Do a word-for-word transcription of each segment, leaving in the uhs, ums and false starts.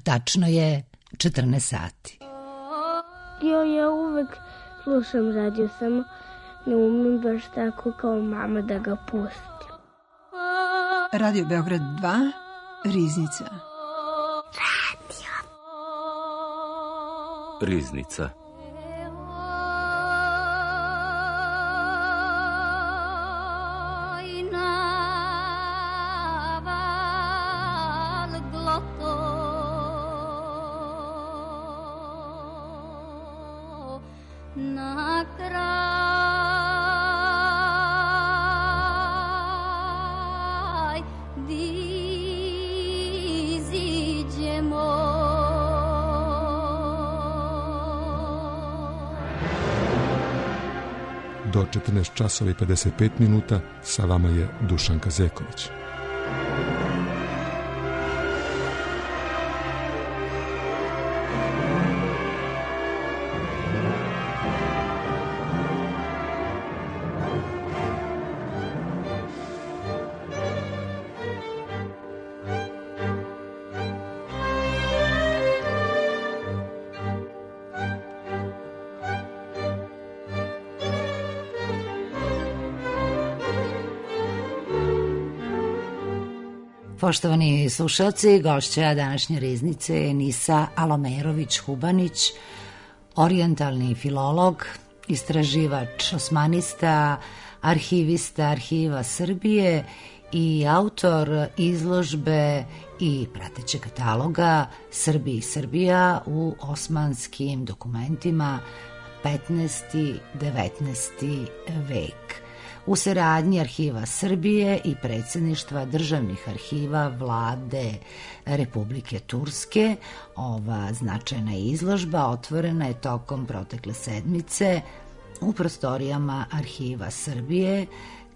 Tačno je četrnaest sati. Jo, ja uvek slušam radio, samo ne umem baš tako kao mama da ga pustim. Radio Beograd dva, Riznica. Radio. Riznica. Do četrnaest časova i pedeset pet minuta sa vama je Dušanka Zeković. Poštovani slušalci, gošća današnje Riznice je Nisa Alomerović-Hubanić, orijentalni filolog, istraživač osmanista, arhivista Arhiva Srbije i autor izložbe i pratećeg kataloga Srbi i Srbija u osmanskim dokumentima petnaesti devetnaesti vek. U saradnji Arhiva Srbije i predsjedništva državnih arhiva Vlade Republike Turske, ova značajna izložba otvorena je tokom protekle sedmice u prostorijama Arhiva Srbije,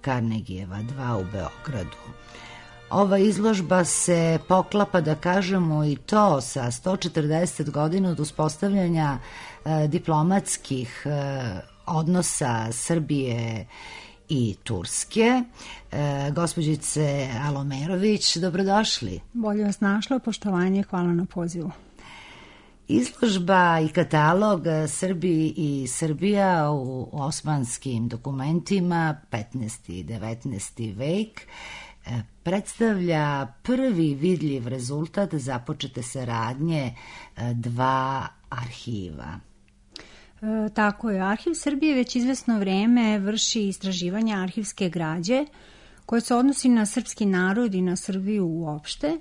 Karnegijeva dva u Beogradu. Ova izložba se poklapa, da kažemo i to, sa sto četrdeset godina od uspostavljanja e, diplomatskih e, odnosa Srbije i Turske. E, gospođice Alomerović, dobrodošli. Bolje vas našla, poštovanje, hvala na pozivu. Izložba i katalog Srbi i Srbija u osmanskim dokumentima petnaesti devetnaesti vek e, predstavlja prvi vidljiv rezultat započete saradnje e, dva arhiva. E, tako je, Arhiv Srbije već izvesno vreme vrši istraživanja arhivske građe koje se odnosi na srpski narod i na Srbiju uopšte,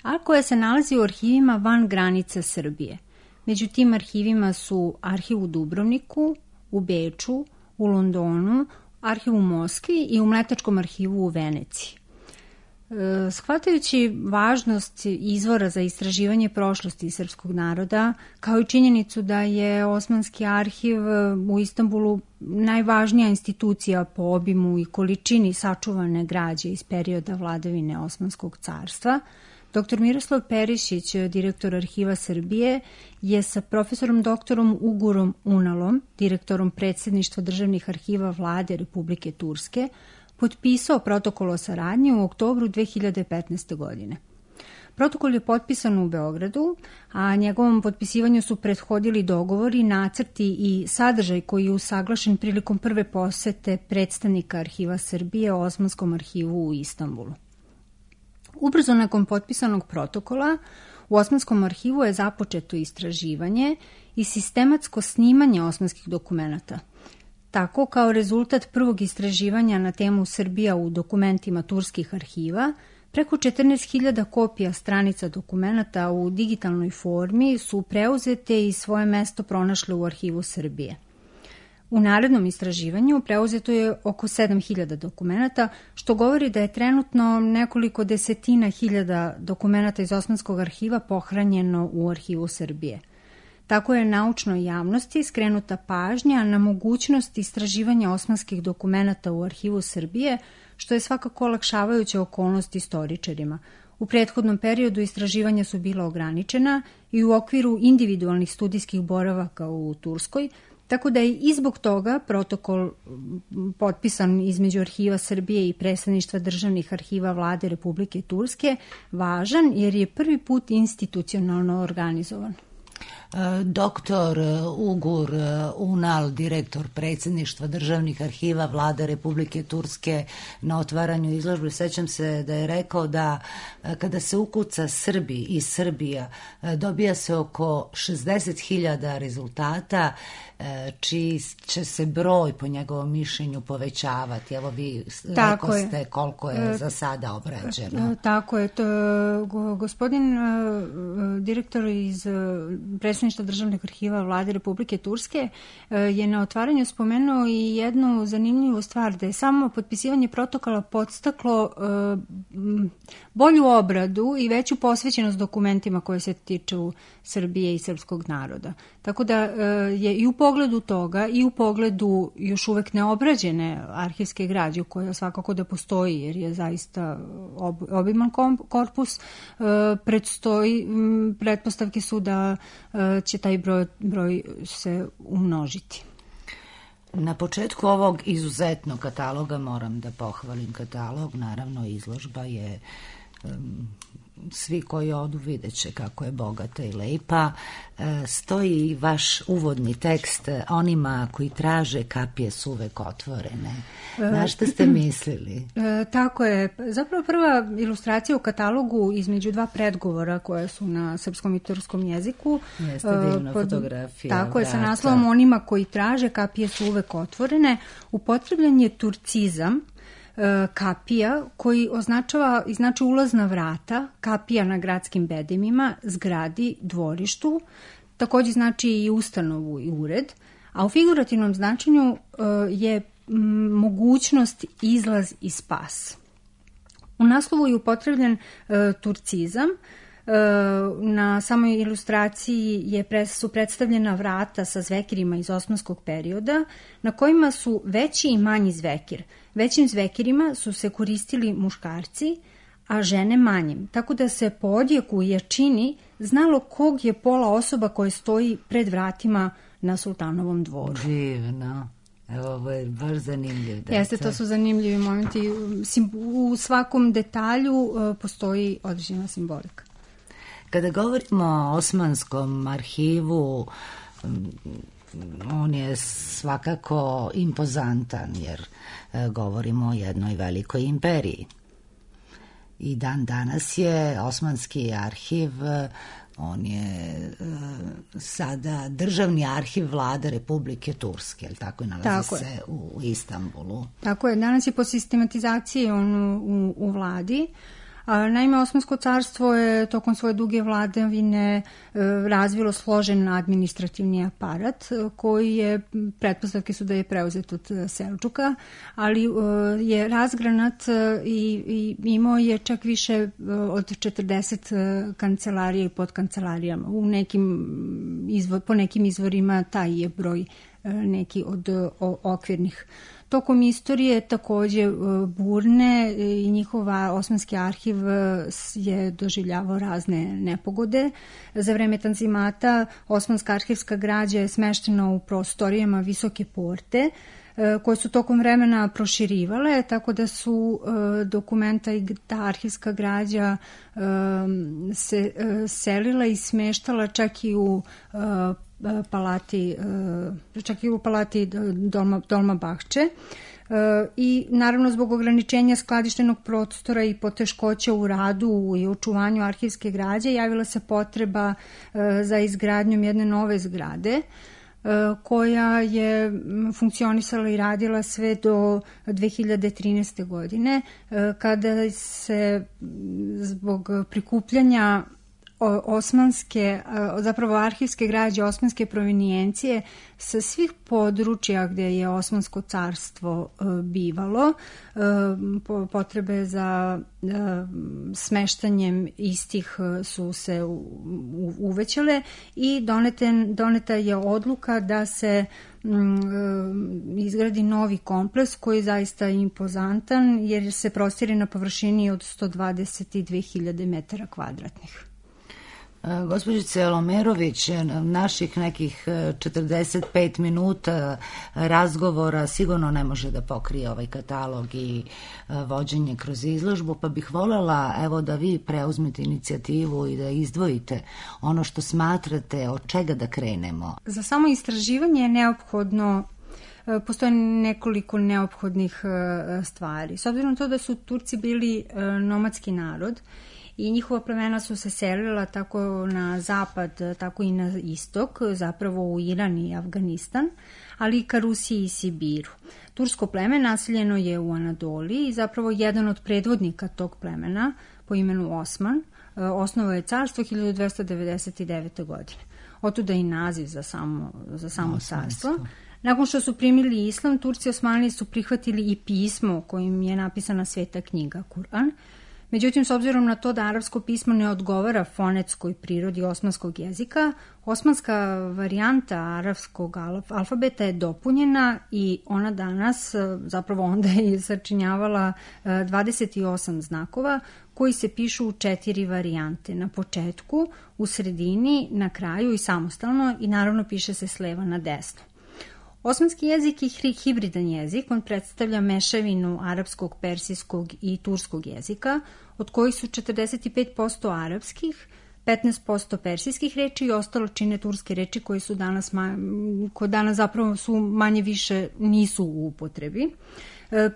a koje se nalazi u arhivima van granica Srbije. Među tim arhivima su arhiv u Dubrovniku, u Beču, u Londonu, arhiv u Moskvi i u Mletačkom arhivu u Veneciji. E, shvatajući važnost izvora za istraživanje prošlosti srpskog naroda, kao i činjenicu da je Osmanski arhiv u Istanbulu najvažnija institucija po obimu i količini sačuvane građe iz perioda vladavine Osmanskog carstva, doktor Miroslav Perišić, direktor Arhiva Srbije, je sa profesorom doktorom Ugurom Unalom, direktorom predsjedništva državnih arhiva Vlade Republike Turske, potpisao protokol o saradnji u oktobru dve hiljade petnaeste. godine. Protokol je potpisan u Beogradu, a njegovom potpisivanju su prethodili dogovori, nacrti i sadržaj koji je usaglašen prilikom prve posete predstavnika Arhiva Srbije o Osmanskom arhivu u Istanbulu. Ubrzo nakon potpisanog protokola, u Osmanskom arhivu je započeto istraživanje i sistematsko snimanje osmanskih dokumenata. Tako, kao rezultat prvog istraživanja na temu Srbija u dokumentima turskih arhiva, preko četrnaest hiljada kopija stranica dokumenata u digitalnoj formi su preuzete i svoje mesto pronašle u Arhivu Srbije. U narednom istraživanju preuzeto je oko sedam hiljada dokumenata, što govori da je trenutno nekoliko desetina hiljada dokumenata iz Osmanskog arhiva pohranjeno u Arhivu Srbije. Tako je naučnoj javnosti skrenuta pažnja na mogućnost istraživanja osmanskih dokumenata u Arhivu Srbije, što je svakako olakšavajuća okolnost istoričarima. U prethodnom periodu istraživanja su bila ograničena i u okviru individualnih studijskih boravaka u Turskoj, Tako da je i zbog toga protokol potpisan između Arhiva Srbije i Predstavništva državnih arhiva Vlade Republike Turske važan jer je prvi put institucionalno organizovan. Doktor Ugur Unal, direktor Predsjedništva državnih arhiva Vlade Republike Turske, na otvaranju izložbe, sećam se da je rekao da kada se ukuca Srbi i Srbija dobija se oko šezdeset hiljada rezultata čiji će se broj po njegovom mišljenju povećavati. Evo vi rekao ste koliko je za sada obrađeno. Tako je. To, gospodin direktor iz Predstavništva državnih arhiva Vlade Republike Turske je na otvaranju spomenuo i jednu zanimljivu stvar, da je samo potpisivanje protokola podstaklo bolju obradu i veću posvećenost dokumentima koje se tiču Srbije i srpskog naroda. Tako da je i u pogledu toga i u pogledu još uvek neobrađene arhivske građe, koja svakako da postoji jer je zaista obiman korpus, predstoji, pretpostavke su da će taj broj, broj se umnožiti. Na početku ovog izuzetnog kataloga moram da pohvalim katalog, naravno izložba je um, svi koji odu vidjet će kako je bogata i lepa. E, stoji vaš uvodni tekst onima koji traže kapije su uvek otvorene. Na šta ste mislili? E, tako je. Zapravo prva ilustracija u katalogu između dva predgovora koje su na srpskom i turskom jeziku. Jeste divna pod, fotografija. Tako vrata. Je, sa naslovom onima koji traže kapije su uvek otvorene. Upotrebljen je turcizam kapija koji označava i znači ulazna vrata, kapija na gradskim bedemima, zgradi, dvorištu, također znači i ustanovu i ured, a u figurativnom značenju je mogućnost, izlaz i spas. U naslovu je upotrebljen turcizam. Na samoj ilustraciji je, su predstavljena vrata sa zvekirima iz osmanskog perioda na kojima su veći i manji zvekir. Većim zvekirima su se koristili muškarci, a žene manjim, tako da se po odjeku i jačini znalo kog je pola osoba koja stoji pred vratima na sultanovom dvoru. Divno. Evo, ovo je baš zanimljiv detalj. Jeste, to su zanimljivi momenti. U svakom detalju postoji određena simbolika. Kada govorimo o Osmanskom arhivu, on je svakako impozantan jer govorimo o jednoj velikoj imperiji. I dan danas je Osmanski arhiv, on je sada državni arhiv Vlade Republike Turske, jel tako, i nalazi tako se je. u Istanbulu. Tako je, danas je po sistematizaciji on u, u vladi. Naime, Osmansko carstvo je tokom svoje duge vladavine razvilo složen administrativni aparat koji je, pretpostavke su da je preuzet od Selđuka, ali je razgranat i, i imao je čak više od četrdeset kancelarija i podkancelarijama. U nekim izvor, po nekim izvorima taj je broj neki od okvirnih. Tokom istorije također burne i njihova Osmanski arhiv je doživljavao razne nepogode. Za vreme Tanzimata Osmanska arhivska građa je smeštena u prostorijama Visoke porte koje su tokom vremena proširivale, tako da su dokumenta i ta arhivska građa se selila i smeštala čak i u palati, čak i u palati Dolma, Dolma Bahče. I naravno zbog ograničenja skladištenog prostora i poteškoća u radu i očuvanju arhivske građe javila se potreba za izgradnjom jedne nove zgrade koja je funkcionisala i radila sve do dve hiljade trinaeste. godine, kada se zbog prikupljanja osmanske, zapravo arhivske građe osmanske provenijencije sa svih područja gdje je Osmansko carstvo bivalo, potrebe za smeštanjem istih su se uvećale i doneta je odluka da se izgradi novi kompleks koji je zaista impozantan jer se prostire na površini od sto dvadeset dve hiljade metara kvadratnih. Gospođice Lomerović, naših nekih četrdeset pet minuta razgovora sigurno ne može da pokrije ovaj katalog i vođenje kroz izložbu, pa bih voljela evo da vi preuzmete inicijativu i da izdvojite ono što smatrate od čega da krenemo. Za samo istraživanje je neophodno, postoje nekoliko neophodnih stvari. S obzirom na to da su Turci bili nomadski narod, i njihova plemena su se selila tako na zapad, tako i na istok, zapravo u Iran i Afganistan, ali i ka Rusiji i Sibiru. Tursko pleme naseljeno je u Anadoliji i zapravo jedan od predvodnika tog plemena po imenu Osman osnovao je carstvo hiljadu dvesta devedeset devete. godine. Otuda i naziv za samo, za samo carstvo. Nakon što su primili islam, Turci Osmanlije su prihvatili i pismo kojim je napisana sveta knjiga Kur'an. Međutim, s obzirom na to da arapsko pismo ne odgovara fonetskoj prirodi osmanskog jezika, osmanska varijanta arapskog alfabeta je dopunjena i ona danas, zapravo onda je sačinjavala dvadeset osam znakova koji se pišu u četiri varijante. Na početku, u sredini, na kraju i samostalno i naravno piše se s leva na desno. Osmanski jezik je hibridan jezik, on predstavlja mešavinu arapskog, persijskog i turskog jezika, od kojih su četrdeset pet posto arapskih, petnaest posto persijskih reči i ostalo čine turske reči koje su danas, koje danas zapravo su manje više nisu u upotrebi.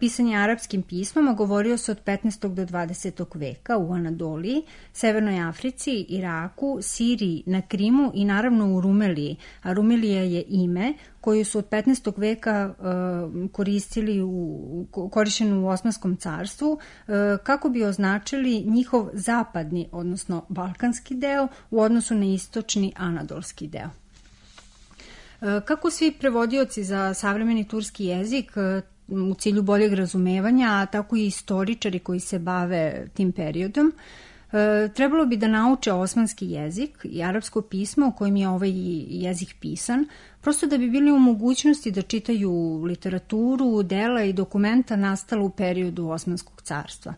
Pisanje arapskim pismom govorio se od petnaestog do dvadesetog veka u Anadoliji, Severnoj Africi, Iraku, Siriji, na Krimu i naravno u Rumeliji. A Rumelija je ime koje su od petnaestog veka uh, koristili u, korišćeno u Osmanskom carstvu uh, kako bi označili njihov zapadni, odnosno balkanski deo u odnosu na istočni anadolski deo. Kako svi prevodioci za savremeni turski jezik u cilju boljeg razumevanja, a tako i istoričari koji se bave tim periodom, trebalo bi da nauče osmanski jezik i arapsko pismo u kojem je ovaj jezik pisan, prosto da bi bili u mogućnosti da čitaju literaturu, dela i dokumenta nastala u periodu Osmanskog carstva.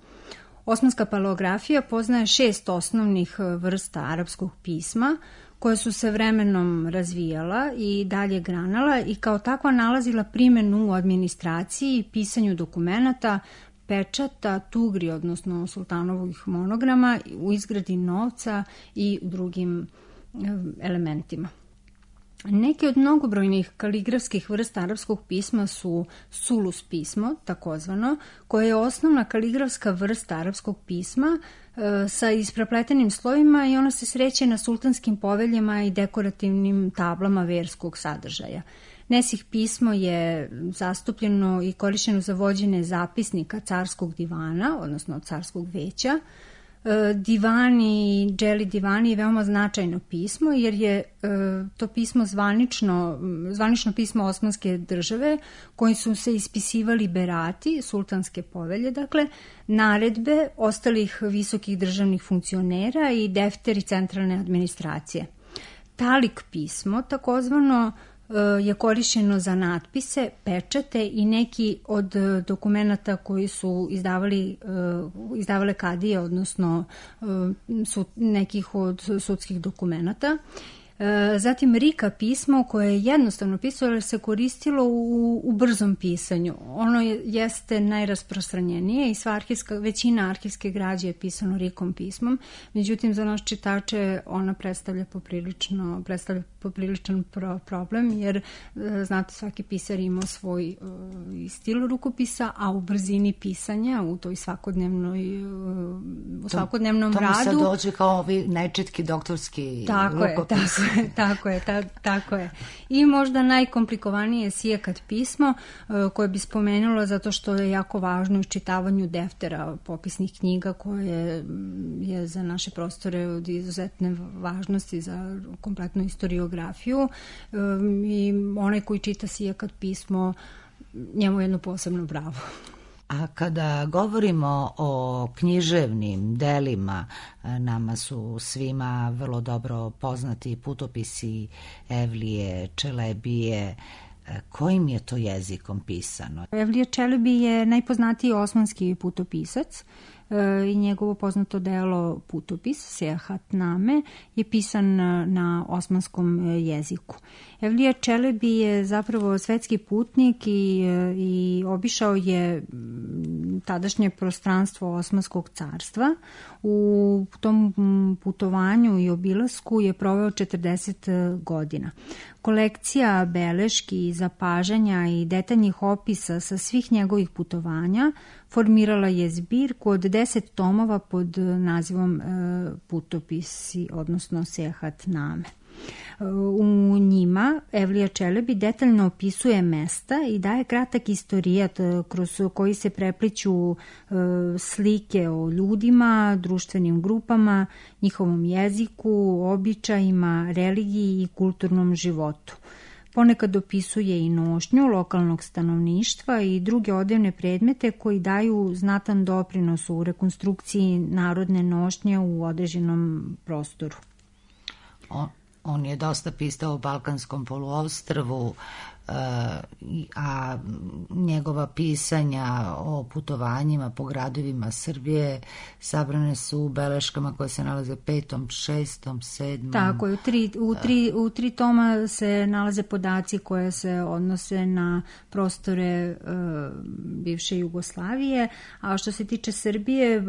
Osmanska paleografija poznaje šest osnovnih vrsta arapskog pisma, koje su se vremenom razvijala i dalje granala i kao takva nalazila primjenu u administraciji, pisanju dokumenata, pečata, tugri, odnosno sultanovih monograma, u izgradi novca i drugim elementima. Neke od mnogobrojnih kaligrafskih vrsta arapskog pisma su sulus pismo, takozvano, koje je osnovna kaligrafska vrsta arapskog pisma e, sa isprepletenim slojima i ona se sreće na sultanskim poveljama i dekorativnim tablama verskog sadržaja. Nesih pismo je zastupljeno i korišćeno za vođenje zapisnika carskog divana, odnosno carskog veća. Divani, dželi divani je veoma značajno pismo jer je to pismo zvanično, zvanično pismo Osmanske države koji su se ispisivali berati, sultanske povelje, dakle, naredbe ostalih visokih državnih funkcionera i defteri centralne administracije. Talik pismo, takozvano, je korišćeno za natpise, pečate i neki od dokumenata koji su izdavali, izdavale kadije, odnosno sud, nekih od sudskih dokumenata. Zatim rika pismo koje je jednostavno pisalo jer se koristilo u, u brzom pisanju. Ono je, jeste najrasprostranjenije i sva arhivska, većina arhivske građe je pisano rikom pismom, međutim za naš čitače ona predstavlja poprilično, predstavlja popriličan pro, problem jer znate svaki pisar ima svoj uh, stil rukopisa, a u brzini pisanja, u toj svakodnevnoj uh, u svakodnevnom to, to radu. To mi sad dođe kao ovi nečitki doktorski tako rukopis. Je, tako je, tako je, ta, tako je. I možda najkomplikovanije je sijekat pismo uh, koje bi spomenulo zato što je jako važno u čitavanju deftera popisnih knjiga koje je za naše prostore od izuzetne važnosti za kompletnu historiografiju um, i onaj koji čita sijekat pismo njemu jedno posebno bravo. A kada govorimo o književnim delima, nama su svima vrlo dobro poznati putopisi Evlije Čelebije. Kojim je to jezikom pisano? Evlija Čelebi je najpoznatiji osmanski putopisac. i njegovo poznato delo Putopis, Sejahatname, je pisan na osmanskom jeziku. Evlija Čelebi je zapravo svetski putnik i, i obišao je tadašnje prostranstvo Osmanskog carstva. U tom putovanju i obilasku je proveo četrdeset godina. Kolekcija beleški, zapažanja i detaljnih opisa sa svih njegovih putovanja formirala je zbirku od deset tomova pod nazivom Putopisi, odnosno Sejahatname. U njima Evlija Čelebi detaljno opisuje mesta i daje kratak istorijat kroz koji se prepliću slike o ljudima, društvenim grupama, njihovom jeziku, običajima, religiji i kulturnom životu. Ponekad opisuje i nošnju lokalnog stanovništva i druge odevne predmete koji daju znatan doprinos u rekonstrukciji narodne nošnje u određenom prostoru. O. On je dosta pisao o Balkanskom poluostrvu, a njegova pisanja o putovanjima po gradovima Srbije sabrane su u beleškama koje se nalaze petom, šestom, sedmom. Tako je, u tri, u tri, u tri toma se nalaze podaci koje se odnose na prostore uh, bivše Jugoslavije, a što se tiče Srbije, uh,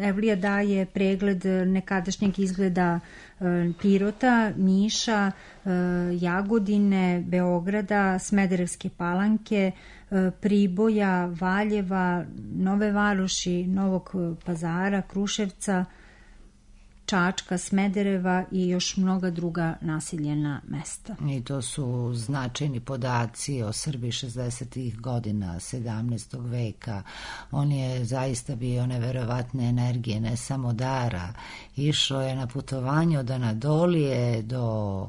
Evlija daje pregled nekadašnjeg izgleda uh, Pirota, Niša, uh, Jagodine, Beograda, Smederevske Palanke, Priboja, Valjeva, Nove Varoši, Novog Pazara, Kruševca, Čačka, Smedereva i još mnoga druga naseljena mesta. I to su značajni podaci o Srbiji šezdesetih godina sedamnaestog veka. On je zaista bio neverovatne energije, ne samo dara. Išao je na putovanje od Anadolije do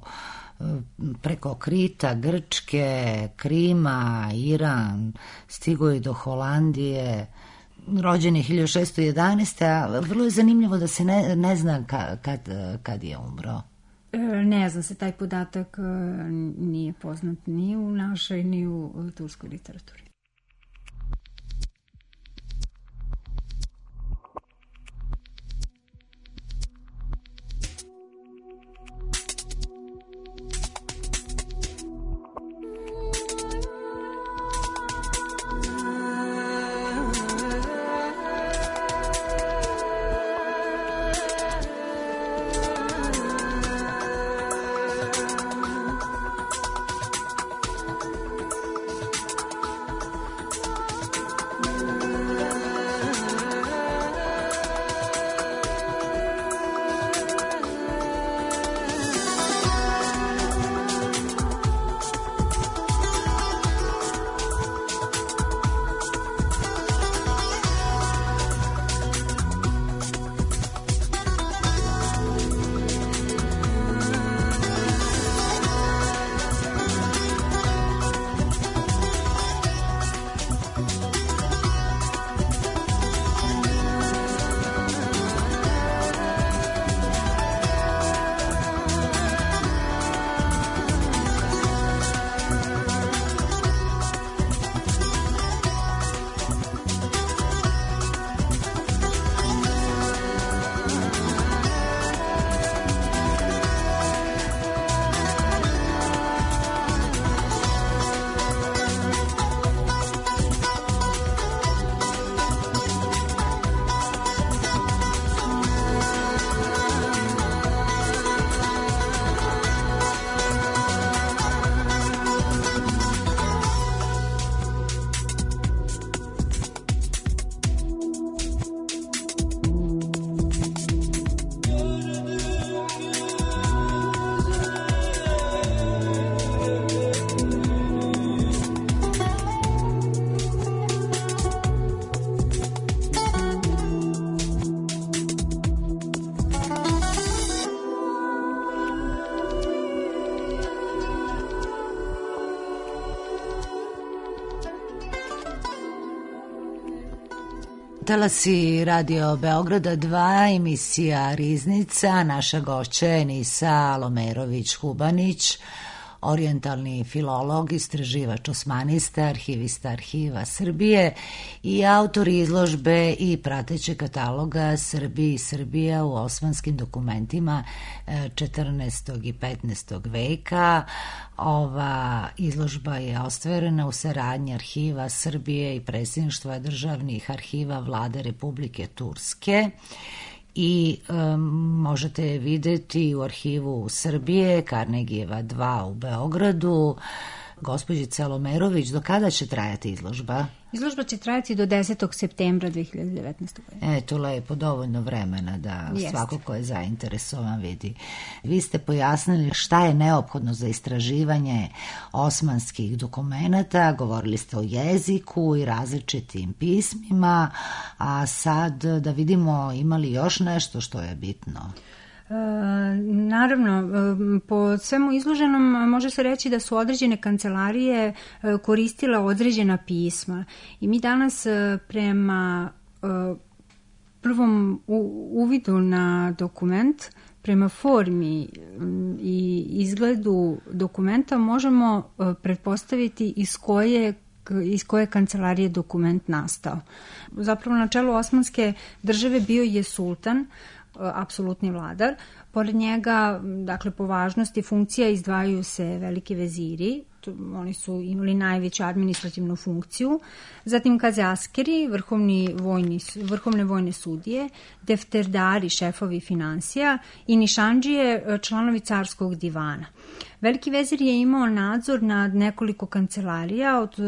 preko Krita, Grčke, Krima, Iran, stigo je do Holandije, rođen je hiljadu šeststo jedanaeste. a vrlo je zanimljivo da se ne, ne zna ka, kad, kad je umro. Ne zna se, taj podatak nije poznat ni u našoj, ni u turskoj literaturi. Talasi Radio Beograda dva, emisija Riznica, naša gošća je Nisa Lomerović-Hubanić. orijentalni filolog, istraživač osmanista, arhivista Arhiva Srbije i autor izložbe i pratećeg kataloga Srbiji i Srbija u osmanskim dokumentima četrnaestog i petnaestog veka. Ova izložba je ostvarena u saradnji Arhiva Srbije i Predsjedništva državnih arhiva Vlade Republike Turske i um, možete je videti u Arhivu Srbije, Karnegijeva dva u Beogradu. Gospođice Alomerović, do kada će trajati izložba? Izložba će trajati do desetog septembra dve hiljade devetnaeste. godine. Eto, lepo, dovoljno vremena da Jest. svako ko je zainteresovan vidi. Vi ste pojasnili šta je neophodno za istraživanje osmanskih dokumenata, govorili ste o jeziku i različitim pismima, a sad da vidimo ima li još nešto što je bitno? E, naravno, po svemu izloženom može se reći da su određene kancelarije koristile određena pisma i mi danas prema prvom uvidu na dokument, prema formi i izgledu dokumenta možemo pretpostaviti iz koje iz koje kancelarije dokument nastao. Zapravo na čelu Osmanske države bio je sultan, apsolutni vladar. Pored njega, dakle, po važnosti funkcija izdvajaju se veliki veziri, oni su imali najveću administrativnu funkciju, zatim kazaskeri, vrhovni vojni, vrhovne vojne sudije, defterdari, šefovi finansija i nišandžije, članovi carskog divana. Veliki vezir je imao nadzor nad nekoliko kancelarija, od,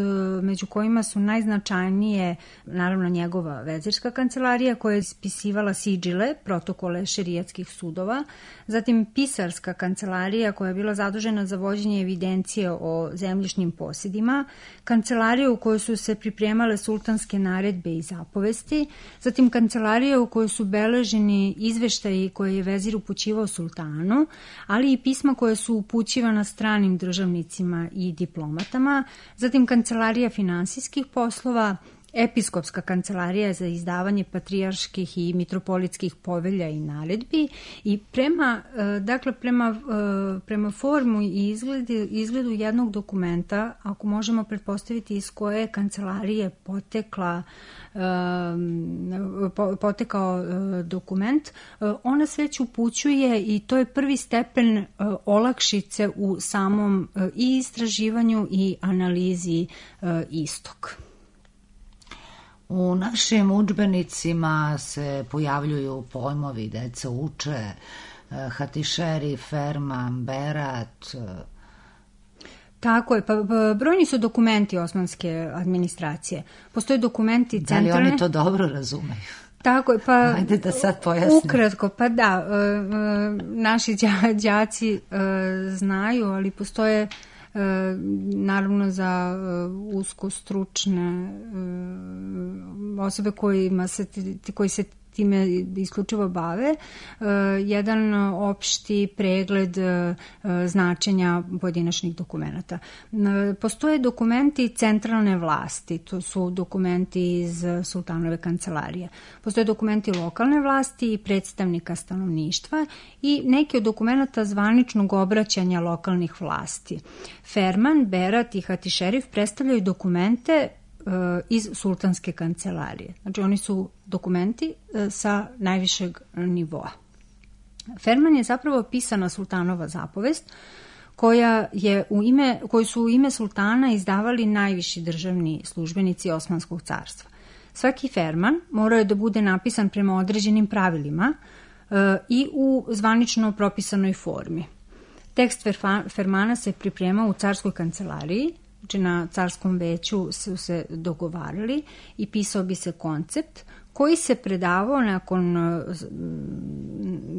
među kojima su najznačajnije, naravno, njegova vezirska kancelarija koja je ispisivala sidžile, protokole šerijatskih sudova, zatim pisarska kancelarija koja je bila zadužena za vođenje evidencije o zemljišnim posjedima, kancelarija u kojoj su se pripremale sultanske naredbe i zapovesti, zatim kancelarija u kojoj su beleženi izveštaji koje je vezir upućivao sultanu, ali i pisma koje su upućivana stranim državnicima i diplomatama, zatim kancelarija finansijskih poslova, episkopska kancelarija za izdavanje patrijarških i mitropolitskih povelja i naredbi i prema, dakle, prema, prema formu i izgledu, izgledu jednog dokumenta, ako možemo pretpostaviti iz koje kancelarije potekla potekao dokument, ona sve upućuje i to je prvi stepen olakšice u samom i istraživanju i analizi istog. U našim udžbenicima se pojavljuju pojmovi, deca uče, hatišeri, ferman, berat. Tako je, pa brojni su dokumenti osmanske administracije. Postoje dokumenti centralne... Da li oni to dobro razumeju? Tako je, pa... Ajde da sad pojasnim. Ukratko, pa da, naši đaci znaju, ali postoje naravno za usko stručne osobe kojima se, koji se time isključivo bave, jedan opšti pregled značenja pojedinačnih dokumenata. Postoje dokumenti centralne vlasti, to su dokumenti iz sultanove kancelarije. Postoje dokumenti lokalne vlasti i predstavnika stanovništva i neki od dokumenta zvaničnog obraćanja lokalnih vlasti. Ferman, berat i hatišerif predstavljaju dokumente iz sultanske kancelarije. Znači oni su dokumenti sa najvišeg nivoa. Ferman je zapravo pisana sultanova zapovest koja je u ime, koju su u ime sultana izdavali najviši državni službenici Osmanskog carstva. Svaki ferman morao je da bude napisan prema određenim pravilima i u zvanično propisanoj formi. Tekst fermana se pripremao u carskoj kancelariji, znači na carskom veću su se dogovarali i pisao bi se koncept koji se predavao nakon,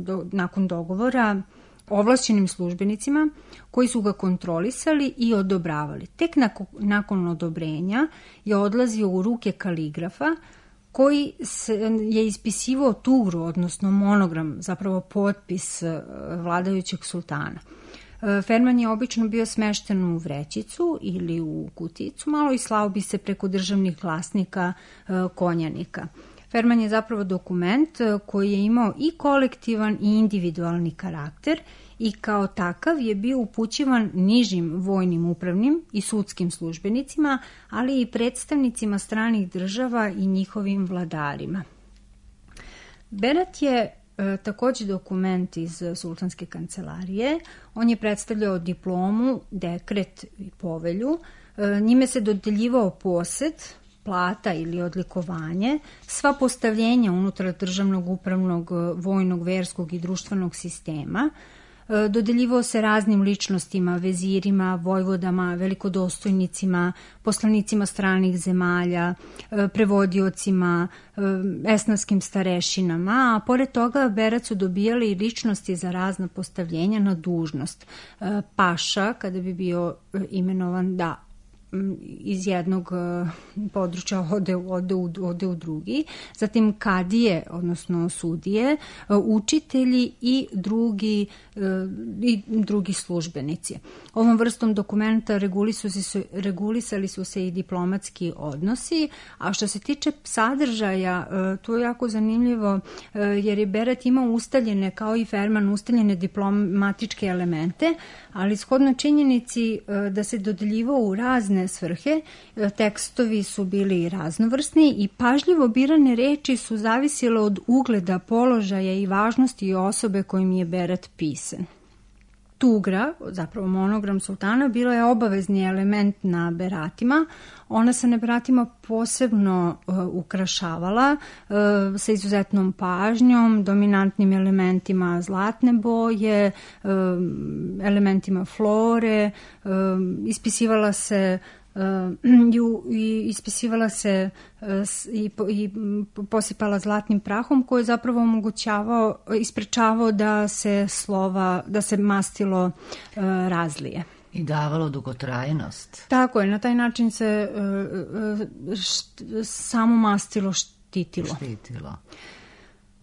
do, nakon dogovora ovlašćenim službenicima koji su ga kontrolisali i odobravali. Tek nakon, nakon odobrenja je odlazio u ruke kaligrafa koji se, je ispisivao tugru, odnosno monogram, zapravo potpis vladajućeg sultana. Ferman je obično bio smešten u vrećicu ili u kuticu, malo i slao bi se preko državnih glasnika konjanika. Ferman je zapravo dokument koji je imao i kolektivan i individualni karakter i kao takav je bio upućivan nižim vojnim, upravnim i sudskim službenicima, ali i predstavnicima stranih država i njihovim vladarima. Berat je e, takođe dokument iz sultanske kancelarije. On je predstavljao diplomu, dekret i povelju. E, njime se dodeljivao posed, plata ili odlikovanje, sva postavljenja unutar državnog, upravnog, vojnog, verskog i društvenog sistema. Dodeljivao se raznim ličnostima, vezirima, vojvodama, velikodostojnicima, poslanicima stranih zemalja, prevodiocima, esnafskim starešinama, a pored toga Berat su dobijali ličnosti za razna postavljenja na dužnost. Paša, kada bi bio imenovan, da, iz jednog područja ode, ode, ode u drugi, zatim kadije, odnosno sudije, učitelji i drugi, i drugi službenici. Ovom vrstom dokumenta regulisali su, regulisali su se i diplomatski odnosi, a što se tiče sadržaja, to je jako zanimljivo jer je Berat imao ustaljene, kao i Ferman, ustaljene diplomatičke elemente, ali shodno činjenici da se dodeljivao u razne svrhe, tekstovi su bili raznovrsni i pažljivo birane reči su zavisile od ugleda, položaja i važnosti osobe kojim je Berat pisan. Tugra, zapravo monogram sultana, bila je obavezni element na beratima. Ona se na beratima posebno uh, ukrašavala uh, sa izuzetnom pažnjom, dominantnim elementima zlatne boje, uh, elementima flore, uh, ispisivala se i ispisivala se i, i posipala zlatnim prahom koji je zapravo omogućavao, isprečavao da se slova, da se mastilo razlije. I davalo dugotrajnost. Tako je, na taj način se samo mastilo štitilo. Štitilo.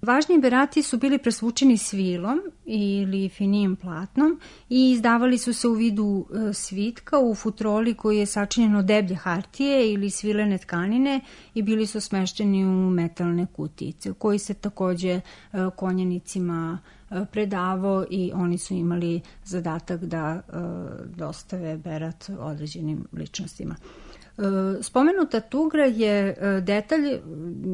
Važni berati su bili presvučeni svilom ili finijim platnom i izdavali su se u vidu svitka u futroli koji je sačinjen od deblje hartije ili svilene tkanine i bili su smešteni u metalne kutice koji se takođe konjanicima predavao i oni su imali zadatak da dostave berat određenim ličnostima. Spomenuta tugra je detalj,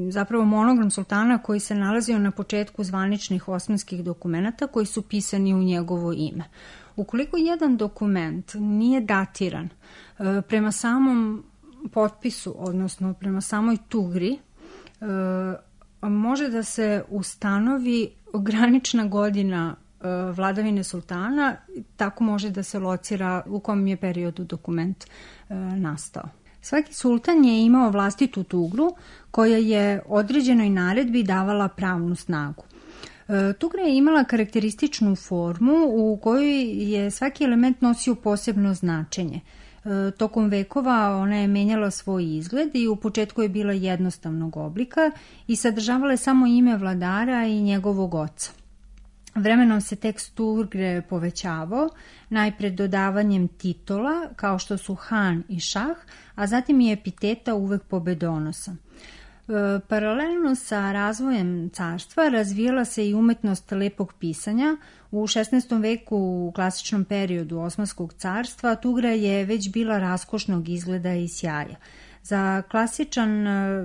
zapravo monogram sultana koji se nalazio na početku zvaničnih osmanskih dokumenata koji su pisani u njegovo ime. Ukoliko jedan dokument nije datiran prema samom potpisu, odnosno prema samoj tugri, može da se ustanovi granična godina vladavine sultana, tako može da se locira u kom je periodu dokument nastao. Svaki sultan je imao vlastitu tugru koja je određenoj naredbi davala pravnu snagu. Tugra je imala karakterističnu formu u kojoj je svaki element nosio posebno značenje. Tokom vekova ona je menjala svoj izgled i u početku je bila jednostavnog oblika i sadržavala je samo ime vladara i njegovog oca. Vremenom se tekst tugre povećavao, najpred dodavanjem titola, kao što su han i šah, a zatim i epiteta uvek pobedonosa. E, paralelno sa razvojem carstva razvijala se i umetnost lepog pisanja. U šesnaestom veku, u klasičnom periodu Osmanskog carstva, tugra je već bila raskošnog izgleda i sjaja. Za klasičan,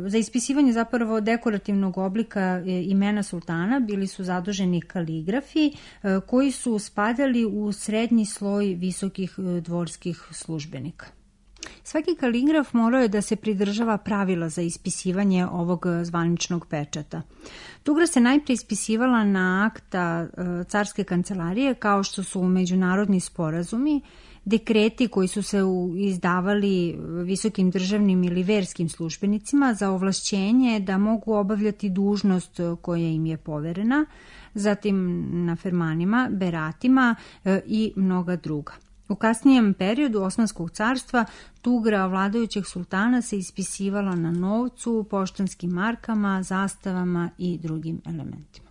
za ispisivanje zapravo dekorativnog oblika imena sultana bili su zaduženi kaligrafi koji su spadali u srednji sloj visokih dvorskih službenika. Svaki kaligraf morao je da se pridržava pravila za ispisivanje ovog zvaničnog pečata. Tugra se najprije ispisivala na akta carske kancelarije kao što su međunarodni sporazumi, dekreti koji su se izdavali visokim državnim ili verskim službenicima za ovlašćenje da mogu obavljati dužnost koja im je poverena, zatim na fermanima, beratima i mnoga druga. U kasnijem periodu Osmanskog carstva tugra vladajućeg sultana se ispisivala na novcu, poštanskim markama, zastavama i drugim elementima.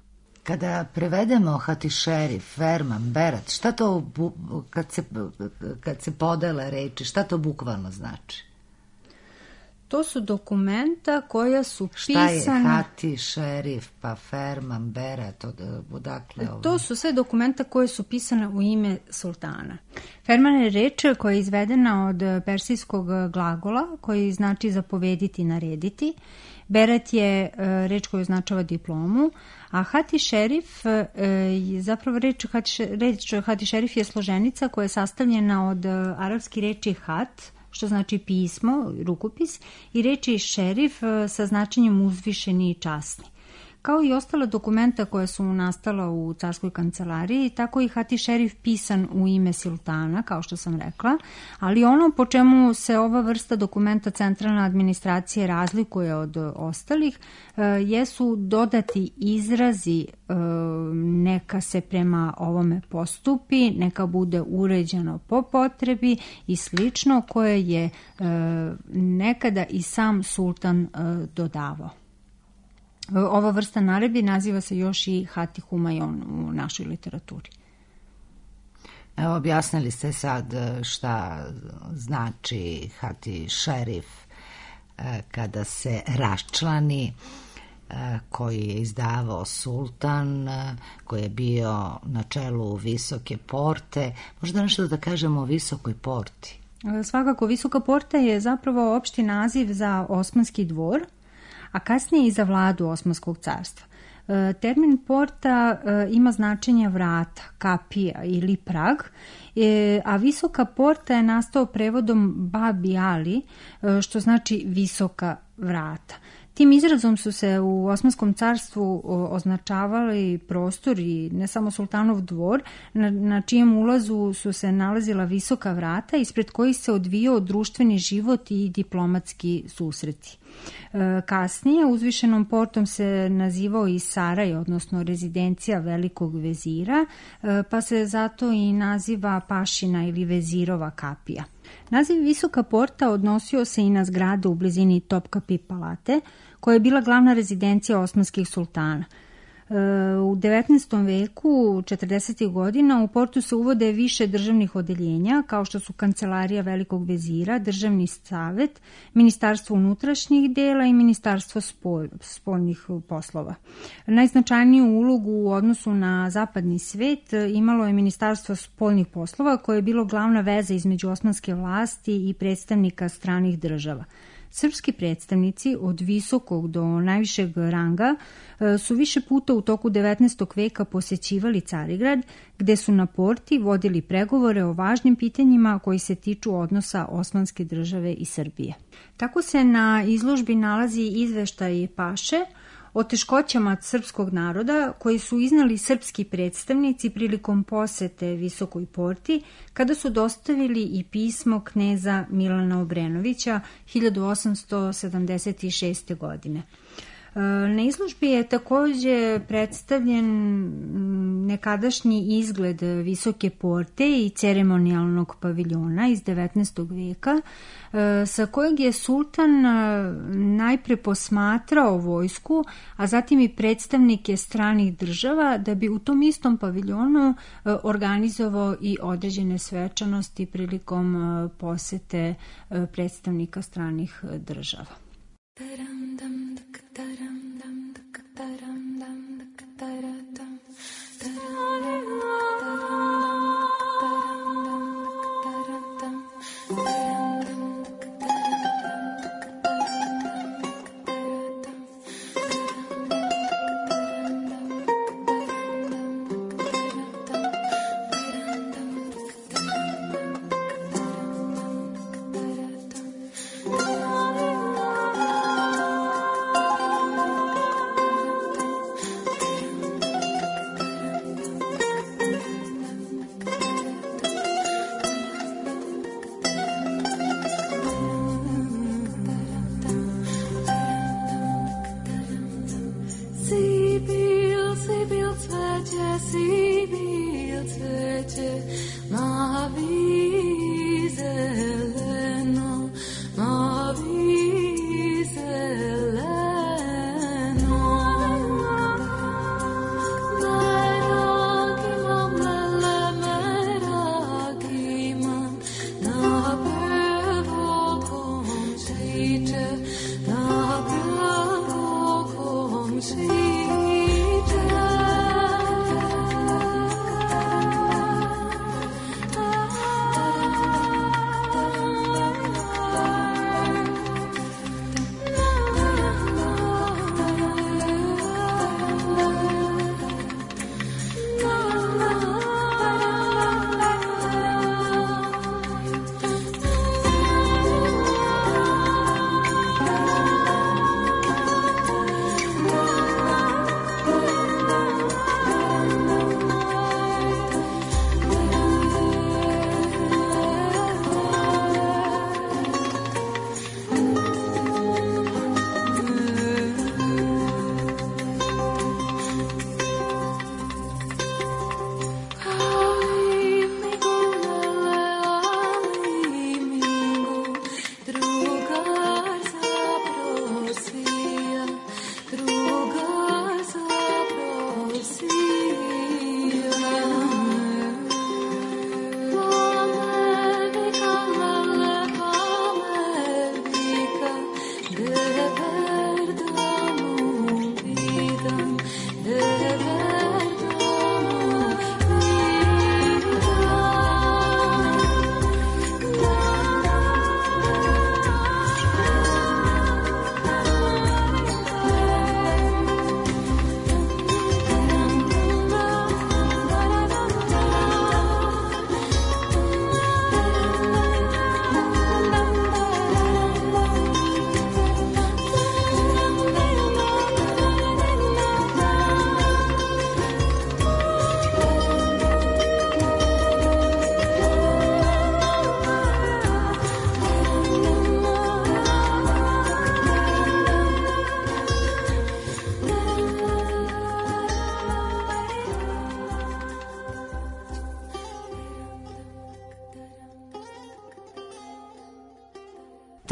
Kada prevedemo Hatişerif, Ferman, Berat, šta to, kad se, kad se podele reči, šta to bukvalno znači? To su dokumenta koja su pisana... pisana... Šta je hati, šerif, pa ferman, bera, to da, odakle... Ovaj... To su sve dokumenta koje su pisane u ime sultana. Ferman je reč koja je izvedena od persijskog glagola, koji znači zapovediti, narediti. Beret je reč koju označava diplomu, a hati šerif je zapravo reč hati, reč hati šerif je složenica koja je sastavljena od arapski reči hat, što znači pismo, rukopis, i reči šerif sa značenjem uzvišeni i časni. Kao i ostala dokumenta koja su nastala u carskoj kancelariji, tako i hati šerif pisan u ime sultana, kao što sam rekla, ali ono po čemu se ova vrsta dokumenta centralne administracije razlikuje od ostalih, jesu dodati izrazi neka se prema ovome postupi, neka bude uređeno po potrebi i slično, koje je nekada i sam sultan dodavao. Ova vrsta naredbi naziva se još i hati humajon u našoj literaturi. Evo, objasnili ste sad šta znači hati šerif kada se raščlani, koji je izdavao sultan, koji je bio na čelu Visoke porte. Možda nešto da kažemo o Visokoj porti? Svakako, Visoka porta je zapravo opšti naziv za Osmanski dvor, a kasnije i za vladu Osmanskog carstva. Termin porta ima značenje vrata, kapija ili prag, a Visoka porta je nastao prevodom Babi Ali, što znači visoka vrata. Tim izrazom su se u Osmanskom carstvu označavali prostor i ne samo sultanov dvor, na, na čijem ulazu su se nalazila visoka vrata ispred kojih se odvijao društveni život i diplomatski susreti. Kasnije uzvišenom portom se nazivao i Saraj, odnosno rezidencija velikog vezira, pa se zato i naziva Pašina ili vezirova kapija. Naziv Visoka porta odnosio se i na zgradu u blizini Topkapi palate, koja je bila glavna rezidencija osmanskih sultana. U devetnaestom veku, četrdesetih godina, u portu se uvode više državnih odeljenja, kao što su Kancelarija velikog vezira, Državni savet, Ministarstvo unutrašnjih dela i Ministarstvo spolj, spoljnih poslova. Najznačajniju ulogu u odnosu na zapadni svet imalo je Ministarstvo spoljnih poslova, koje je bilo glavna veza između osmanske vlasti i predstavnika stranih država. Srpski predstavnici od visokog do najvišeg ranga su više puta u toku devetnaestog veka posećivali Carigrad, gde su na porti vodili pregovore o važnim pitanjima koji se tiču odnosa Osmanske države i Srbije. Tako se na izložbi nalazi izveštaj Paše o teškoćama srpskog naroda koji su iznali srpski predstavnici prilikom posete Visokoj porti, kada su dostavili i pismo kneza Milana Obrenovića hiljadu osamsto sedamdeset šeste. godine. Na izložbi je takođe predstavljen nekadašnji izgled Visoke porte i ceremonijalnog paviljona iz devetnaestog veka, sa kojeg je sultan najpre posmatrao vojsku, a zatim i predstavnike stranih država, da bi u tom istom paviljonu organizovao i određene svečanosti prilikom posete predstavnika stranih država. Teacher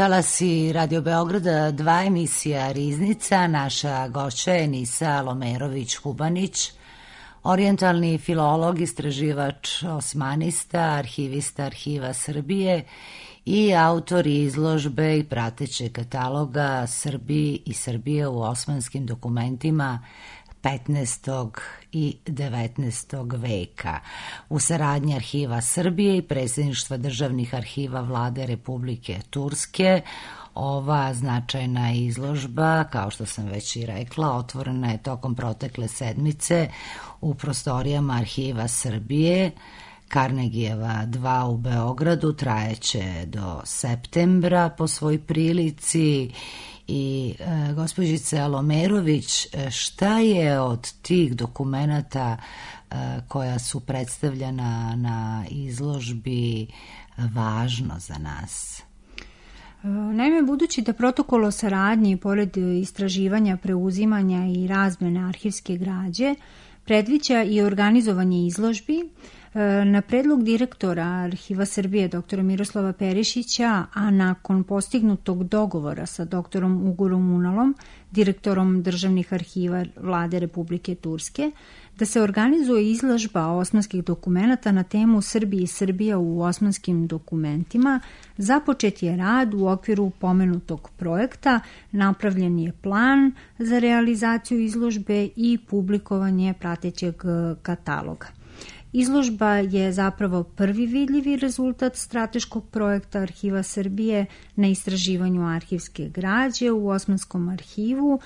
Talasi Radio Beograda, dva emisija Riznica. Naša gošća je Nisa Alomerović-Hubanić, orijentalni filolog, istraživač osmanista, arhivista Arhiva Srbije i autor izložbe i pratećeg kataloga Srbiji i Srbije u osmanskim dokumentima petnaestog i devetnaestog veka. U saradnji Arhiva Srbije i Predsjedništva državnih arhiva Vlade Republike Turske, ova značajna izložba, kao što sam već i rekla, otvorena je tokom protekle sedmice u prostorijama Arhiva Srbije, Karnegijeva dva u Beogradu, trajeće do septembra po svoj prilici. I e, gospođice Alomerović, šta je od tih dokumenata e, koja su predstavljena na izložbi važno za nas? Naime, budući da protokol o saradnji, pored istraživanja, preuzimanja i razmene arhivske građe, predviđa i organizovanje izložbi, na predlog direktora Arhiva Srbije doktora Miroslava Perišića, a nakon postignutog dogovora sa doktorom Ugurom Unalom, direktorom državnih arhiva Vlade Republike Turske, da se organizuje izložba osmanskih dokumenata na temu Srbije i Srbija u osmanskim dokumentima, započet je rad u okviru pomenutog projekta, napravljen je plan za realizaciju izložbe i publikovanje pratećeg kataloga. Izložba je zapravo prvi vidljivi rezultat strateškog projekta Arhiva Srbije na istraživanju arhivske građe u Osmanskom arhivu,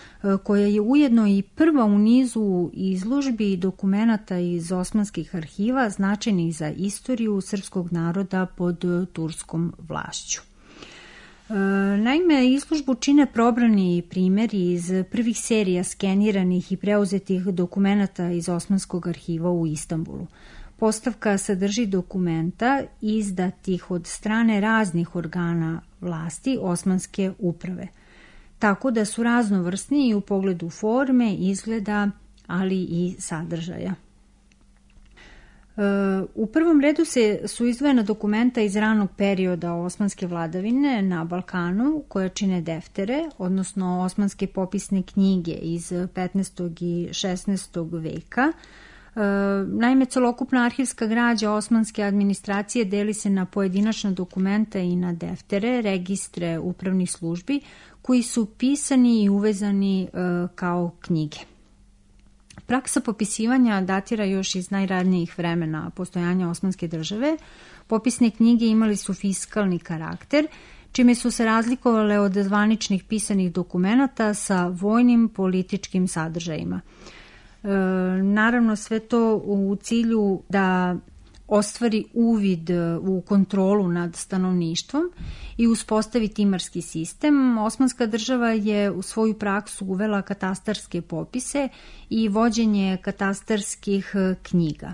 koja je ujedno i prva u nizu izložbi i dokumenata iz osmanskih arhiva značajnih za istoriju srpskog naroda pod turskom vlašću. Naime, izložbu čine probrani primjeri iz prvih serija skeniranih i preuzetih dokumenata iz Osmanskog arhiva u Istanbulu. Postavka sadrži dokumenta izdatih od strane raznih organa vlasti Osmanske uprave, tako da su raznovrsni i u pogledu forme, izgleda, ali i sadržaja. U prvom redu se su izdvojena dokumenta iz ranog perioda osmanske vladavine na Balkanu, koje čine deftere, odnosno osmanske popisne knjige iz petnaestog i šesnaestog veka, Naime, celokupna arhivska građa osmanske administracije deli se na pojedinačna dokumenta i na deftere, registre upravnih službi, koji su pisani i uvezani kao knjige. Praksa popisivanja datira još iz najranijih vremena postojanja Osmanske države. Popisne knjige imali su fiskalni karakter, čime su se razlikovale od zvaničnih pisanih dokumenata sa vojnim političkim sadržajima. E, naravno, sve to u cilju da ostvari uvid u kontrolu nad stanovništvom i uspostavi timarski sistem. Osmanska država je u svoju praksu uvela katastarske popise i vođenje katastarskih knjiga.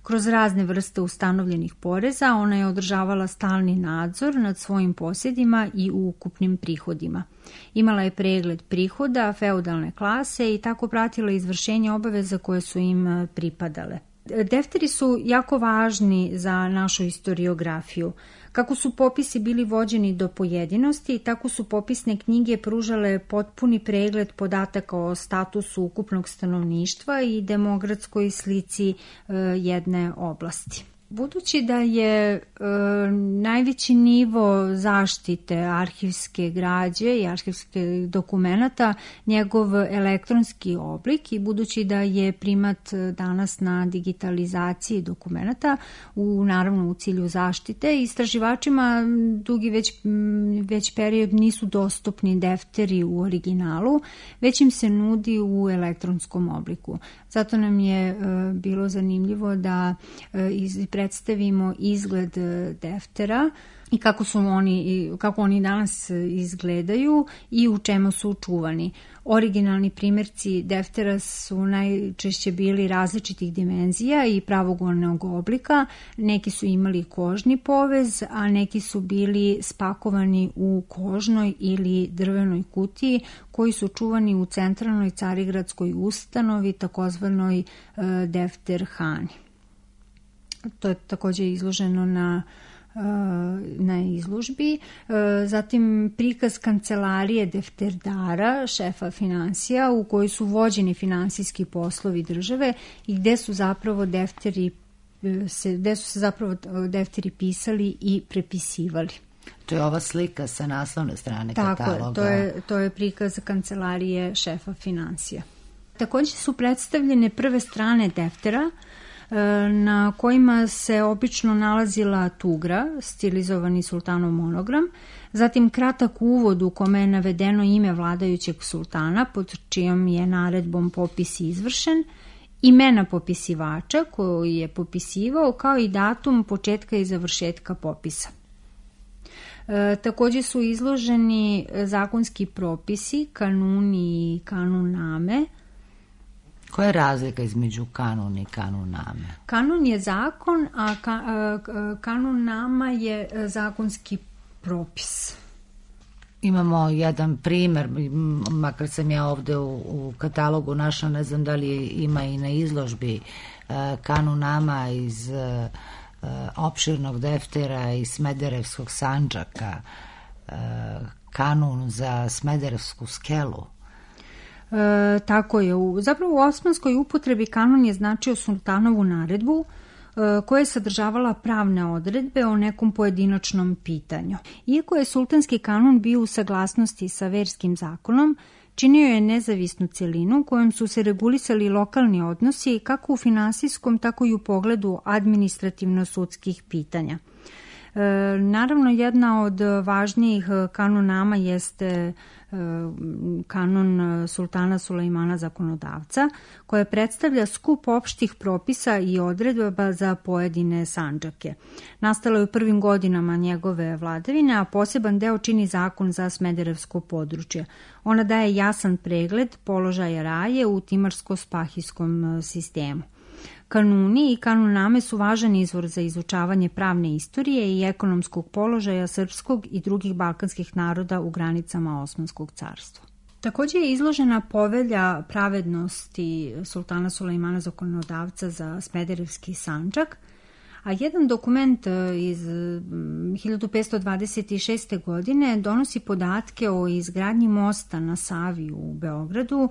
Kroz razne vrste ustanovljenih poreza ona je održavala stalni nadzor nad svojim posjedima i ukupnim prihodima. Imala je pregled prihoda feudalne klase i tako pratila izvršenje obaveza koje su im pripadale. Defteri su jako važni za našu historiografiju. Kako su popisi bili vođeni do pojedinosti, tako su popisne knjige pružale potpuni pregled podataka o statusu ukupnog stanovništva i demografskoj slici e, jedne oblasti. Budući da je e, najveći nivo zaštite arhivske građe i arhivskih dokumenata njegov elektronski oblik i budući da je primat danas na digitalizaciji dokumenata u naravno u cilju zaštite, istraživačima dugi već, već period nisu dostupni defteri u originalu, već im se nudi u elektronskom obliku. Zato nam je e, bilo zanimljivo da e, iz predstavimo izgled deftera i kako su oni, kako oni danas izgledaju i u čemu su čuvani. Originalni primjerci deftera su najčešće bili različitih dimenzija i pravougolnog oblika. Neki su imali kožni povez, a neki su bili spakovani u kožnoj ili drvenoj kutiji koji su čuvani u centralnoj carigradskoj ustanovi, takozvanoj defterhani. To je također izloženo na, na izložbi. Zatim prikaz kancelarije defterdara, šefa finansija, u kojoj su vođeni finansijski poslovi države i gde su zapravo defteri, gde su se zapravo defteri pisali i prepisivali. To je ova slika sa naslovne strane Tako kataloga. Tako je, to je, to je prikaz kancelarije šefa finansija. Također su predstavljene prve strane deftera na kojima se obično nalazila tugra, stilizovani sultanov monogram, zatim kratak uvod u kome je navedeno ime vladajućeg sultana pod čijom je naredbom popis izvršen, imena popisivača koji je popisivao, kao i datum početka i završetka popisa. E, također su izloženi zakonski propisi, kanuni i kanuname. Koja je razlika između kanun i kanuname? Kanun je zakon, a ka, kanunama je zakonski propis. Imamo jedan primjer, makar sam ja ovdje u, u katalogu našla, ne znam da li ima i na izložbi, kanunama iz opširnog deftera iz Smederevskog Sandžaka, kanun za Smederevsku skelu. E, tako je. U, zapravo u osmanskoj upotrebi kanun je značio sultanovu naredbu e, koja je sadržavala pravne odredbe o nekom pojedinačnom pitanju. Iako je sultanski kanun bio u saglasnosti sa verskim zakonom, činio je nezavisnu celinu kojom su se regulisali lokalni odnosi kako u finansijskom, tako i u pogledu administrativno-sudskih pitanja. E, naravno, jedna od važnijih kanunama jeste kanun sultana Sulejmana zakonodavca, koja predstavlja skup opštih propisa i odredaba za pojedine sandžake. Nastala je u prvim godinama njegove vladavine, a poseban deo čini zakon za Smederevsko područje. Ona daje jasan pregled položaja raje u timarsko-spahijskom sistemu. Kanuni i kanuname su važan izvor za izučavanje pravne istorije i ekonomskog položaja srpskog i drugih balkanskih naroda u granicama Osmanskog carstva. Također je izložena povelja pravednosti sultana Sulejmana zakonodavca za Smederevski Sandžak, A jedan dokument iz hiljadu petsto dvadeset šeste. godine donosi podatke o izgradnji mosta na Savi u Beogradu,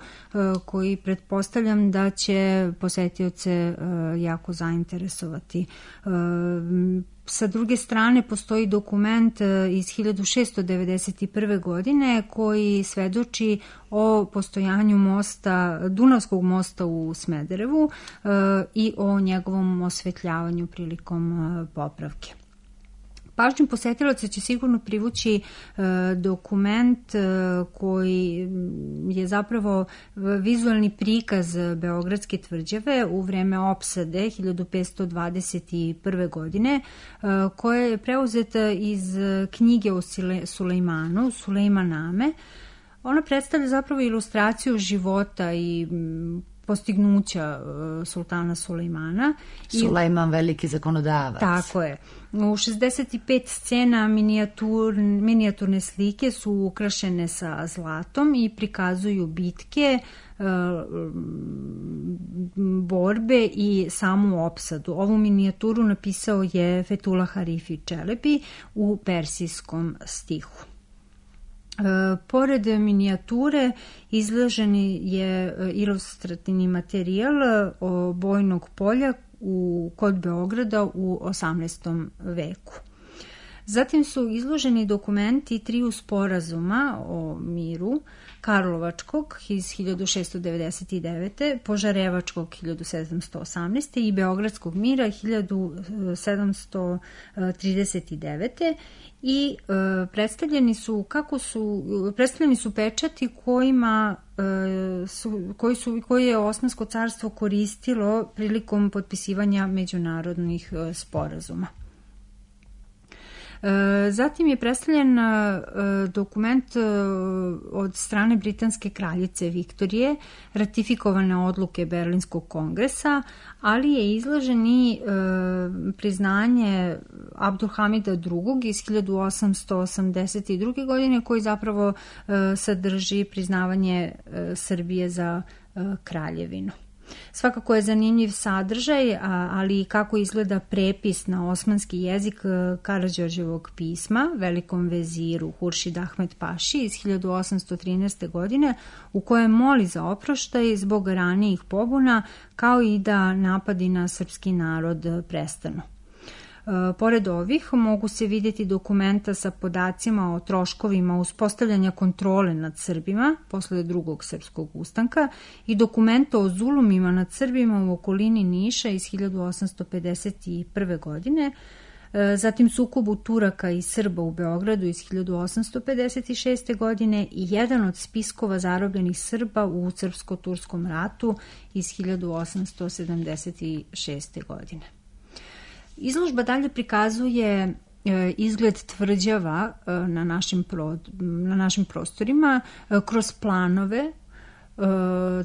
koji pretpostavljam da će posetioce jako zainteresovati. Sa druge strane, postoji dokument iz hiljadu šesto devedeset prve. godine koji svedoči o postojanju mosta, Dunavskog mosta u Smederevu i o njegovom osvetljavanju prilikom popravke. Pažnju posetilaca će sigurno privući e, dokument e, koji je zapravo vizualni prikaz Beogradske tvrđave u vreme opsade hiljadu petsto dvadeset prve. godine, e, koja je preuzeta iz knjige o Sulejmanu, Sulejmaname. Ona predstavlja zapravo ilustraciju života i postignuća sultana Sulejmana. Sulejman veliki zakonodavac. Tako je. U šezdeset pet scena minijatur, minijaturne slike su ukrašene sa zlatom i prikazuju bitke, borbe i samu opsadu. Ovu minijaturu napisao je Fethullah Harifi Čelebi u persijskom stihu. E, pored minijature izloženi je ilustrativni materijal o bojnog polja u, kod Beograda u osamnaestom veku. Zatim su izloženi dokumenti triju sporazuma o miru, Karlovačkog iz hiljadu šesto devedeset devete. Požarevačkog hiljadu sedamsto osamnaeste. i Beogradskog mira hiljadu sedamsto trideset devete. i e, predstavljeni su kako su predstavljeni su pečati kojima e, su, koji su koji je Osmansko carstvo koristilo prilikom potpisivanja međunarodnih e, sporazuma. Zatim je predstavljen dokument od strane britanske kraljice Viktorije, ratifikovane odluke Berlinskog kongresa, ali je izložen i priznanje Abdulhamida drugog. iz hiljadu osamsto osamdeset druge. godine, koji zapravo sadrži priznavanje Srbije za kraljevinu. Svakako je zanimljiv sadržaj, ali i kako izgleda prepis na osmanski jezik Karađorđevog pisma velikom veziru Huršid Ahmed Paši iz hiljadu osamsto trinaeste. godine, u kojem moli za oproštaj zbog ranijih pobuna, kao i da napadi na srpski narod prestanu. Pored ovih mogu se vidjeti dokumenta sa podacima o troškovima uspostavljanja kontrole nad Srbima posle drugog srpskog ustanka i dokumenta o zulumima nad Srbima u okolini Niša iz hiljadu osamsto pedeset prve. godine, zatim sukobu Turaka i Srba u Beogradu iz hiljadu osamsto pedeset šeste. godine i jedan od spiskova zarobljenih Srba u Srpsko-turskom ratu iz hiljadu osamsto sedamdeset šeste. godine. Izložba dalje prikazuje izgled tvrđava na našim, pro, na našim prostorima kroz planove.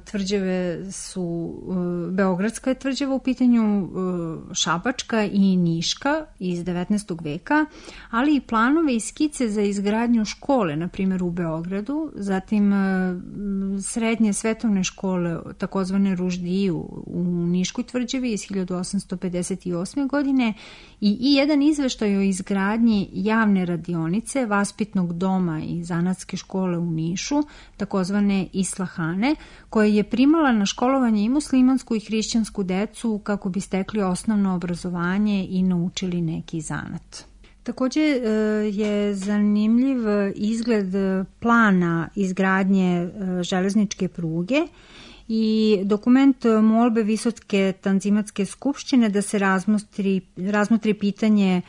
Tvrđave su, Beogradska je tvrđava u pitanju, Šabačka i Niška iz devetnaestog veka, ali i planove i skice za izgradnju škole, na primjer u Beogradu, zatim srednje svetovne škole, takozvane Ruždiju u Niškoj tvrđavi iz hiljadu osamsto pedeset osme. godine i, i jedan izveštaj o izgradnji javne radionice, vaspitnog doma i zanatske škole u Nišu, takozvane Islahane, koja je primala na školovanje i muslimansku i hrišćansku decu kako bi stekli osnovno obrazovanje i naučili neki zanat. Također je zanimljiv izgled plana izgradnje železničke pruge i dokument molbe Visoke tanzimatske skupštine da se razmotri, razmotri pitanje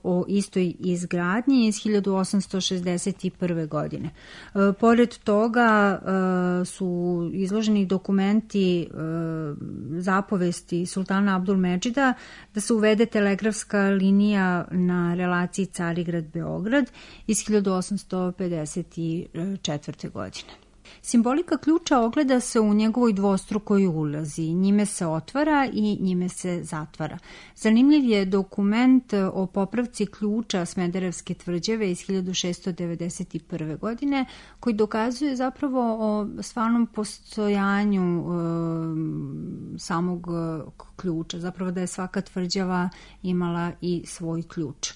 o istoj izgradnji iz hiljadu osamsto šezdeset prve. godine. Pored toga su izloženi dokumenti zapovesti sultana Abdulmedžida da se uvede telegrafska linija na relaciji Carigrad-Beograd iz hiljadu osamsto pedeset četvrte. godine. Simbolika ključa ogleda se u njegovoj dvostrukoj ulazi. Njime se otvara i njime se zatvara. Zanimljiv je dokument o popravci ključa Smederevske tvrđave iz hiljadu šesto devedeset prve. godine, koji dokazuje zapravo o stvarnom postojanju samog ključa, zapravo da je svaka tvrđava imala i svoj ključ.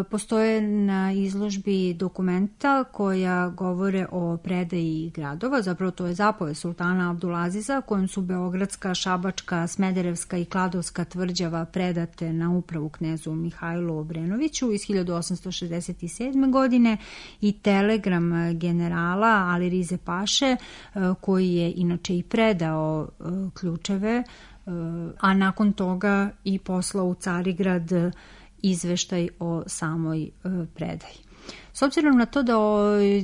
Postoje na izložbi dokumenta koja govore o predaji gradova, zapravo to je zapoved sultana Abdulaziza kojom su Beogradska, Šabačka, Smederevska i Kladovska tvrđava predate na upravu knezu Mihajlu Obrenoviću iz hiljadu osamsto šezdeset sedme. godine i telegram generala Ali Rize Paše koji je inače i predao ključeve, a nakon toga i poslao u Carigrad izveštaj o samoj predaji. S obzirom na to da,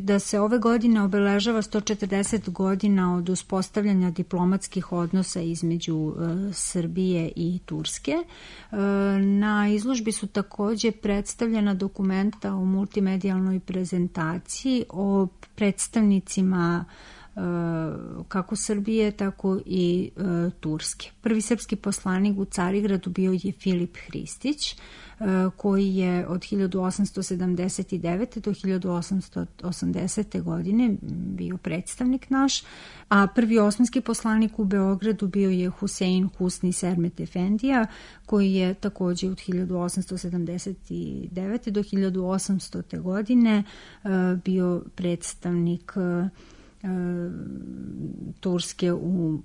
da se ove godine obeležava sto četrdeset godina od uspostavljanja diplomatskih odnosa između e, Srbije i Turske, e, na izložbi su takođe predstavljena dokumenta u multimedijalnoj prezentaciji o predstavnicima kako Srbije, tako i e, Turske. Prvi srpski poslanik u Carigradu bio je Filip Hristić, e, koji je od hiljadu osamsto sedamdeset devete. do hiljadu osamsto osamdesete. godine bio predstavnik naš, a prvi osmanski poslanik u Beogradu bio je Husein Husni Sermet Efendija, koji je takođe od hiljadu osamsto sedamdeset devete. do hiljadu osamstote. godine e, bio predstavnik e, Turske u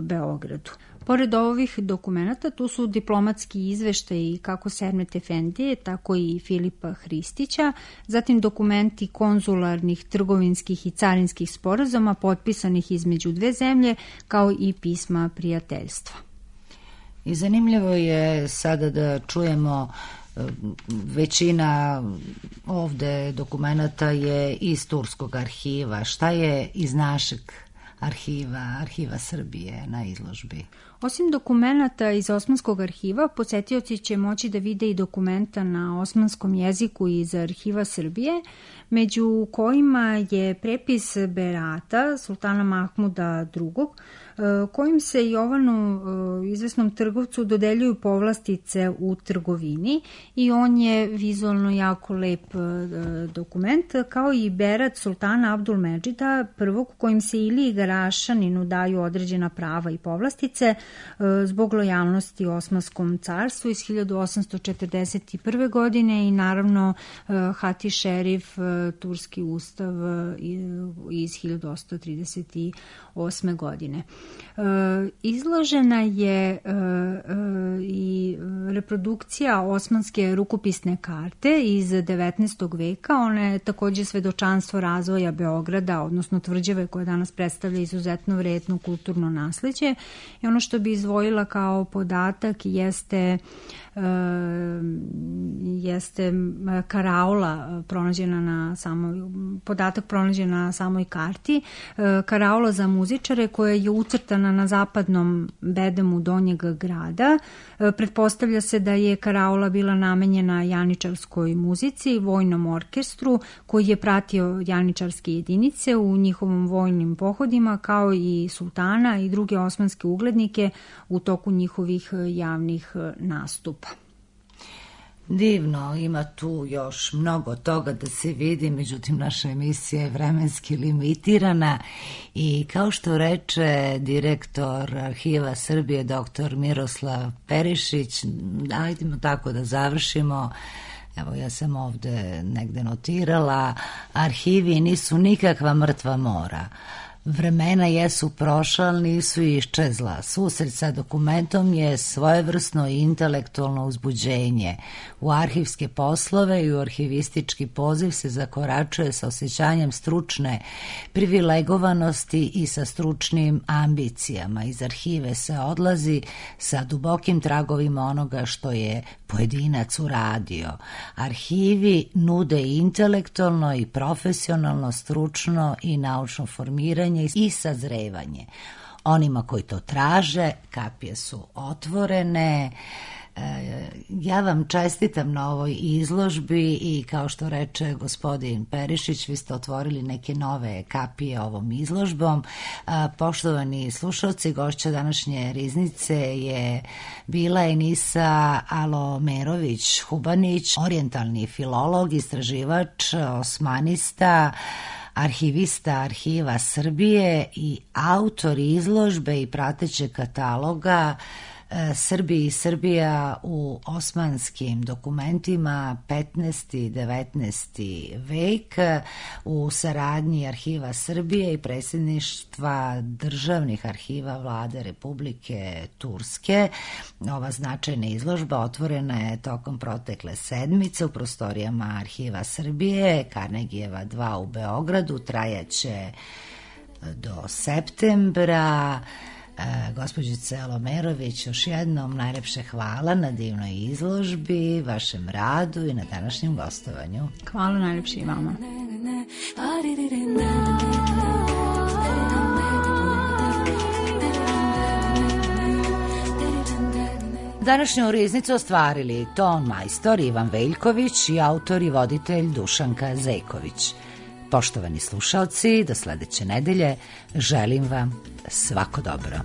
Beogradu. Pored ovih dokumenata, tu su diplomatski izveštaji kako Sermet Efendije, tako i Filipa Hristića, zatim dokumenti konzularnih, trgovinskih i carinskih sporazuma potpisanih između dve zemlje, kao i pisma prijateljstva. I zanimljivo je sada da čujemo većina ovde dokumenta je iz Turskog arhiva. Šta je iz našeg arhiva, arhiva Srbije na izložbi? Osim dokumenta iz Osmanskog arhiva, posetioci će moći da vide i dokumenta na osmanskom jeziku iz arhiva Srbije, među kojima je prepis Berata sultana Mahmuda drugog, kojim se Jovanu, izvesnom trgovcu, dodeljuju povlastice u trgovini i on je vizualno jako lep dokument, kao i Berat sultana Abdulmedžida prvog, kojim se Iliji Garašaninu daju određena prava i povlastice zbog lojalnosti Osmanskom carstvu iz hiljadu osamsto četrdeset prve. godine i naravno Hati Šerif, turski ustav iz hiljadu osamsto trideset osme. godine. Izložena je i reprodukcija osmanske rukopisne karte iz devetnaestog. veka. Ona je takođe svedočanstvo razvoja Beograda, odnosno tvrđave koja danas predstavlja izuzetno vredno kulturno nasleđe. I ono što bi izdvojila kao podatak jeste jeste karaula pronađena na samoj, podatak pronađen na samoj karti, karaula za muzičare koja je ucrtana na zapadnom bedemu Donjeg grada. Pretpostavlja se da je karaula bila namenjena janičarskoj muzici, vojnom orkestru koji je pratio janičarske jedinice u njihovom vojnim pohodima, kao i sultana i druge osmanske uglednike u toku njihovih javnih nastupa. Divno, ima tu još mnogo toga da se vidi, međutim naša emisija je vremenski limitirana i kao što reče direktor Arhiva Srbije doktor Miroslav Perišić, ajdemo tako da završimo. Evo, ja sam ovde negde notirala, arhivi nisu nikakva mrtva mora. Vremena jesu prošla, ali nisu iščezla. Susret sa dokumentom je svojevrsno i intelektualno uzbuđenje. U arhivske poslove i u arhivistički poziv se zakoračuje sa osjećanjem stručne privilegovanosti i sa stručnim ambicijama. Iz arhive se odlazi sa dubokim tragovima onoga što je pojedinac uradio. Arhivi nude intelektualno i profesionalno, stručno i naučno formiranje i sazrevanje. Onima koji to traže, kapije su otvorene. Ja vam čestitam na ovoj izložbi i kao što reče gospodin Perišić, vi ste otvorili neke nove kapije ovom izložbom. Poštovani slušalci, gošća današnje riznice je bila Enisa Alomerović Hubanić, orijentalni filolog, istraživač, osmanista, arhivista Arhiva Srbije i autor izložbe i pratećeg kataloga Srbiji i Srbija u osmanskim dokumentima petnaesti i devetnaesti vek u saradnji Arhiva Srbije i predsjedništva državnih arhiva Vlade Republike Turske. Ova značajna izložba otvorena je tokom protekle sedmice u prostorijama Arhiva Srbije, Karnegijeva dva u Beogradu, trajaće do septembra. E, gospođice Lomerović, još jednom najlepše hvala na divnoj izložbi, vašem radu i na današnjem gostovanju. Hvala najlepše i vama. Današnju riznicu ostvarili ton majstor Ivan Veljković i autor i voditelj Dušanka Zejković. Poštovani slušaoci, do sledeće nedelje želim vam svako dobro.